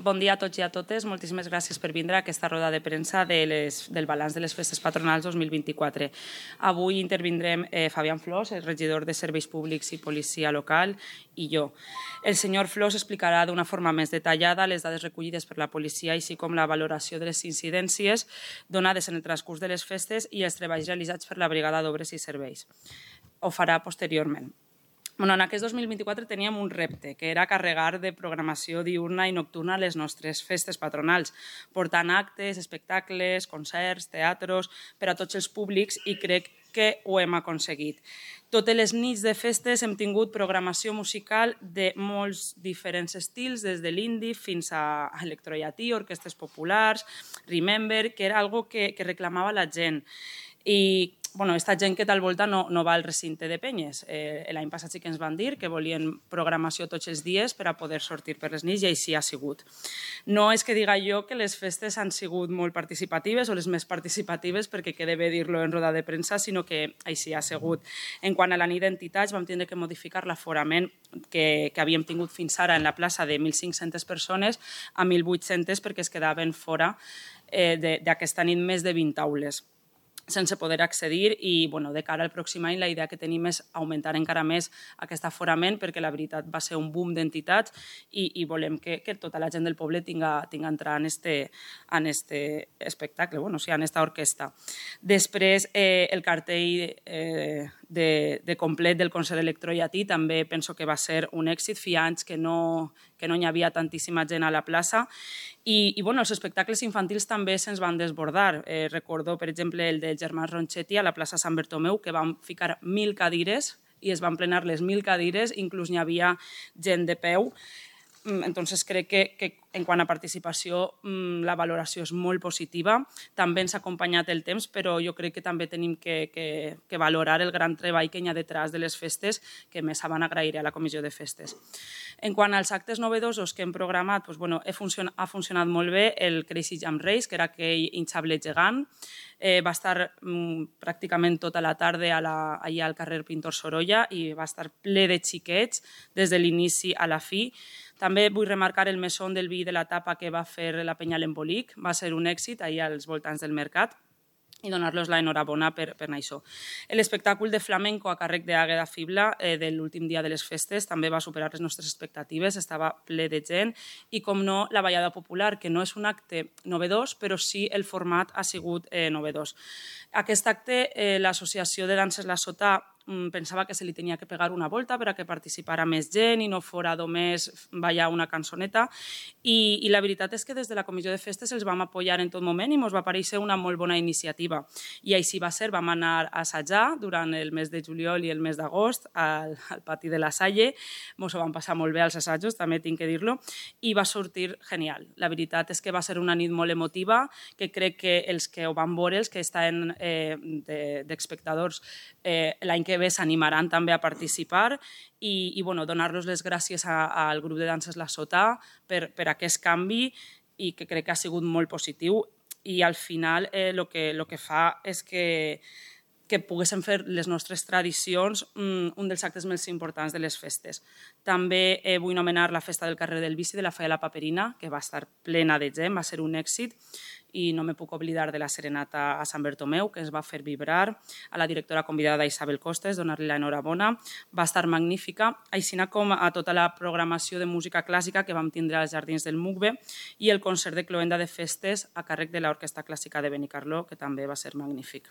Bon dia a tots i a totes. Moltíssimes gràcies per vindre a aquesta roda de premsa del balanç de les festes patronals 2024. Avui intervindrem Fabián Flors, el regidor de Serveis Públics i Policia Local, i jo. El senyor Flors explicarà d'una forma més detallada les dades recollides per la policia, així com la valoració de les incidències donades en el transcurs de les festes i els treballs realitzats per la Brigada d'Obres i Serveis. Ho farà posteriorment. En aquest 2024 teníem un repte, que era carregar de programació diurna i nocturna les nostres festes patronals, portant actes, espectacles, concerts, teatros, per a tots els públics, i crec que ho hem aconseguit. Totes les nits de festes hem tingut programació musical de molts diferents estils, des de l'indie fins a electrollatí, orquestres populars, Remember, que era algo que reclamava la gent. I aquesta gent que tal volta no va al recinte de penyes. L'any passat sí que ens van dir que volien programació tots els dies per a poder sortir per les nits, i així ha sigut. No és que diga jo que les festes han sigut molt participatives o les més participatives, perquè queda bé dir-lo en roda de premsa, sinó que així ha sigut. En quant a la nit d'entitats, vam tindre que modificar l'aforament que havíem tingut fins ara en la plaça de 1.500 persones a 1.800 perquè es quedaven fora d'aquesta nit més de 20 aules sense poder accedir, i de cara al pròxim any la idea que tenim és augmentar encara més aquest aforament, perquè la veritat va ser un boom d'entitats i volem que tota la gent del poble tinga entrar en aquest espectacle, en aquesta orquestra. Després, el cartell de complet del concert electrollatí també penso que va ser un èxit. Feia anys que no hi havia tantíssima gent a la plaça, i els espectacles infantils també se'ns van desbordar. Recordo, per exemple, el dels germans Ronchetti a la plaça Sant Bertomeu, que van ficar 1.000 cadires i es van plenar les 1.000 cadires, inclús n'hi havia gent de peu. Entonces crec que en quant a participació la valoració és molt positiva. També ens ha acompanyat el temps, però jo crec que també tenim que valorar el gran treball que hi ha detrás de les festes, que més van agrair a la comissió de festes. En quant als actes novedosos que hem programat, ha funcionat molt bé el Crazy Jump Race, que era aquell hinchable gegant. Va estar pràcticament tota la tarda allà al carrer Pintor Sorolla i va estar ple de xiquets des de l'inici a la fi. També vull remarcar el mesón del vi de la tapa que va fer la Penya l'Embolic. Va ser un èxit allà als voltants del mercat, i donar-los l'enhorabona per això. L'espectacle de flamenco a càrrec d'Àgueda Fibla de l'últim dia de les festes també va superar les nostres expectatives, estava ple de gent, i com no, la ballada popular, que no és un acte novedós, però sí el format ha sigut novedós. Aquest acte, l'Associació de Danses La Sota pensava que se li tenia que pegar una volta per a que participara més gent i no fora només ballar una cançoneta, i la veritat és que des de la comissió de festes els vam apoyar en tot moment i ens va parèixer una molt bona iniciativa. I així va ser. Vam anar a assajar durant el mes de juliol i el mes d'agost al pati de la Salle. Ens ho vam passar molt bé als assajos, també tinc que dir-lo, i va sortir genial. La veritat és que va ser una nit molt emotiva, que crec que els que ho van veure, els que estan d'espectadors, l'any que ve s'animaran també a participar, i donar-los les gràcies al grup de danses La Sota per aquest canvi, i que crec que ha sigut molt positiu. I al final el que fa és que poguéssim fer les nostres tradicions un dels actes més importants de les festes. També vull anomenar la festa del carrer del Bici de la Falla de la Paperina, que va estar plena de gent, va ser un èxit, i no me puc oblidar de la serenata a Sant Bertomeu, que es va fer vibrar, a la directora convidada Isabel Costes, donar-li l'enhorabona, va estar magnífica, així com a tota la programació de música clàssica que vam tindre als Jardins del Mugbe, i el concert de cloenda de festes a càrrec de l'Orquestra Clàssica de Benicarló, que també va ser magnífic.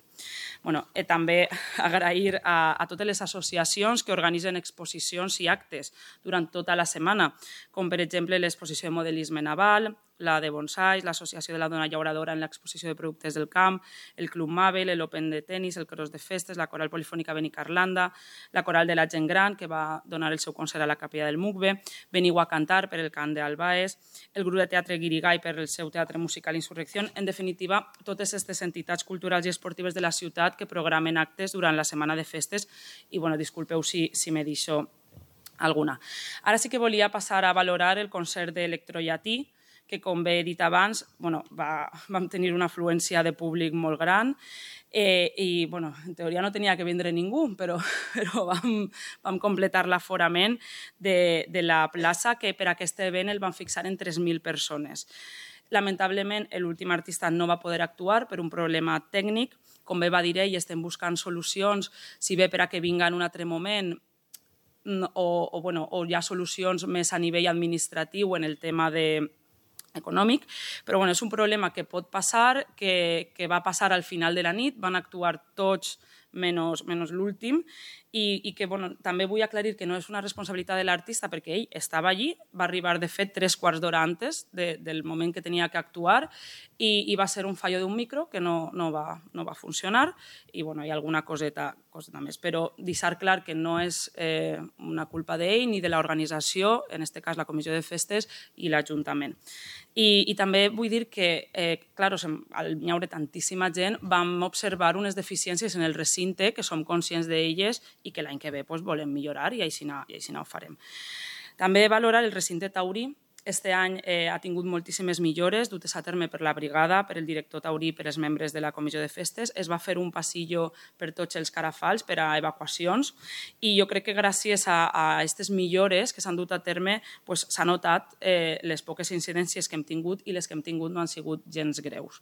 També agrair a totes les associacions que organitzen exposicions i actes durant tota la setmana, com per exemple l'exposició de modelisme naval, la de bonsais, l'Associació de la Dona Llauradora en l'exposició de productes del camp, el Club Mabel, l'Open de tenis, el Cross de festes, la Coral Polifònica Benicarlanda, la Coral de la Gent Gran, que va donar el seu concert a la Capella del Mugbe, Veniu a cantar per el cant d'Albaes, el grup de teatre Guirigay per el seu teatre musical Insurrecció. En definitiva, totes aquestes entitats culturals i esportives de la ciutat que programen actes durant la setmana de festes, i disculpeu si me deixo alguna. Ara sí que volia passar a valorar el concert d'Electrollatí, que, com bé he dit abans, vam tenir una afluència de públic molt gran i, en teoria no tenia que vindre ningú, però vam completar l'aforament de la plaça, que per aquest event el van fixar en 3.000 persones. Lamentablement, l'últim artista no va poder actuar per un problema tècnic. Com bé va dir ell, estem buscant solucions, si bé per a que vinga en un altre moment o hi ha solucions més a nivell administratiu en el tema econòmic, però és un problema que pot passar, que va passar al final de la nit, van actuar tots menys l'últim, i que també vull aclarir que no és una responsabilitat de l'artista perquè ell estava allí, va arribar de fet 3/4 d'hora antes del moment que tenia que actuar i va ser un fallo d'un micro que no va funcionar i hi ha alguna coseta més, però deixar clar que no és una culpa d'ell ni de l'organització, en aquest cas la Comissió de Festes i l'Ajuntament. I també vull dir que, clar, al haure tantíssima gent, vam observar unes deficiències en el recinte que som conscients d'elles i que l'any que ve volem millorar i així ho farem. També valorar el recinte taurí. Este any ha tingut moltíssimes millores dutes a terme per la brigada, per el director taurí i per els membres de la Comissió de Festes. Es va fer un passillo per tots els carafals per a evacuacions i jo crec que gràcies a aquestes millores que s'han dut a terme s'ha notat les poques incidències que hem tingut i les que hem tingut no han sigut gens greus.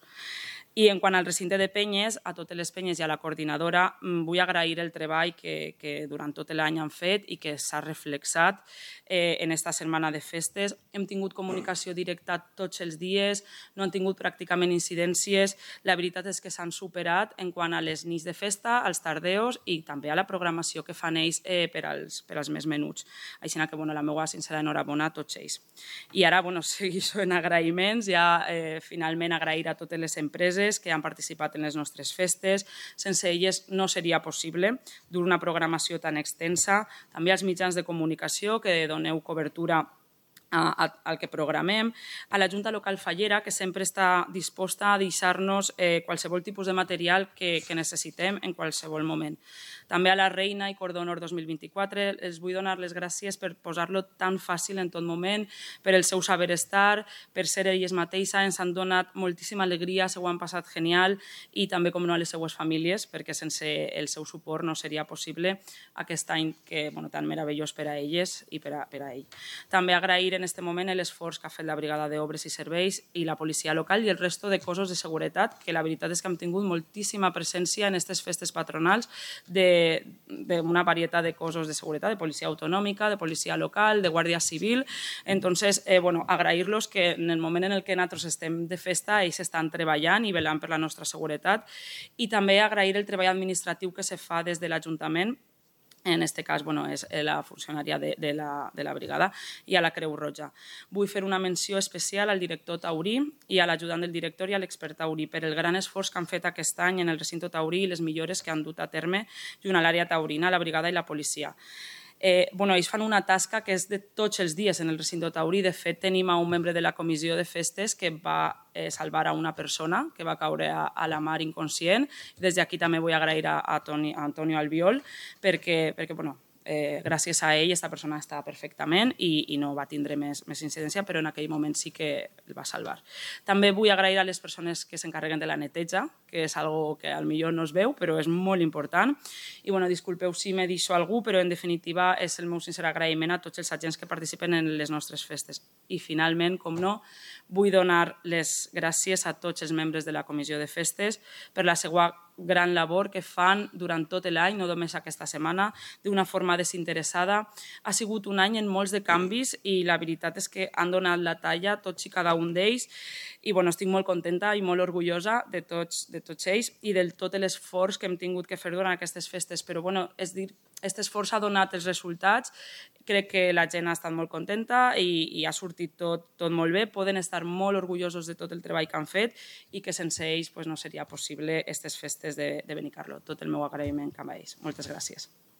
I en quant al recinte de penyes, a totes les penyes i a la coordinadora vull agrair el treball que durant tot l'any han fet i que s'ha reflexat en aquesta setmana de festes. Hem tingut comunicació directa tots els dies, no han tingut pràcticament incidències. La veritat és que s'han superat en quant a les nits de festa, als tardeos i també a la programació que fan ells per als més menuts. Així que la meva sincera enhorabona a tots ells. I ara segueixo en agraïments, ja finalment agrair a totes les empreses que han participat en les nostres festes. Sense elles no seria possible dur una programació tan extensa. També als mitjans de comunicació que doneu cobertura al que programem, a la Junta Local Fallera, que sempre està disposta a deixar-nos qualsevol tipus de material que necessitem en qualsevol moment. També a la Reina i Cordó Honor 2024 els vull donar les gràcies per posar-lo tan fàcil en tot moment, per el seu saber estar, per ser elles mateixes, ens han donat moltíssima alegria, s'ho han passat genial i també, com no, a les seues famílies, perquè sense el seu suport no seria possible aquest any tan meravellós per a elles i per a ell. També agrair en aquest moment l'esforç que ha fet la Brigada d'Obres i Serveis i la policia local i el resto de cossos de seguretat, que la veritat és que hem tingut moltíssima presència en aquestes festes patronals d'una varietat de cossos de seguretat, de policia autonòmica, de policia local, de guàrdia civil. Entonces, agrair-los que en el moment en el que nosaltres estem de festa, ells estan treballant i velant per la nostra seguretat, i també agrair el treball administratiu que se fa des de l'Ajuntament. En aquest cas és la funcionària de la brigada i a la Creu Roja. Vull fer una menció especial al director taurí i a l'ajudant del director i a l'expert taurí per el gran esforç que han fet aquest any en el recinte taurí i les millores que han dut a terme junt a l'àrea taurina, la brigada i la policia. Ells fan una tasca que és de tots els dies en el recinte taurí. De fet, tenim un membre de la comissió de festes que va salvar a una persona que va caure a la mar inconscient. Des d'aquí també vull agrair a Antonio Albiol perquè gràcies a ell aquesta persona està perfectament i no va tindre més incidència, però en aquell moment sí que el va salvar. També vull agrair a les persones que s'encarreguen de la neteja, que és una que potser no es veu, però és molt important. I disculpeu si me deixo algú, però en definitiva és el meu sincer agraïment a tots els agents que participen en les nostres festes. I finalment, com no, vull donar les gràcies a tots els membres de la Comissió de Festes per la seva gran labor que fan durant tot l'any, no només aquesta setmana, d'una forma desinteressada. Ha sigut un any en molts de canvis i la veritat és que han donat la talla tots i cada un d'ells i estic molt contenta i molt orgullosa de tots ells i de tot l'esforç que hem tingut que fer durant aquestes festes. Però és dir, aquest esforç ha donat els resultats, crec que la gent ha estat molt contenta i ha sortit tot molt bé. Poden estar molt orgullosos de tot el treball que han fet i que sense ells no seria possible aquestes festes de Benicarló. Tot el meu agraïment cap a ells. Moltes gràcies.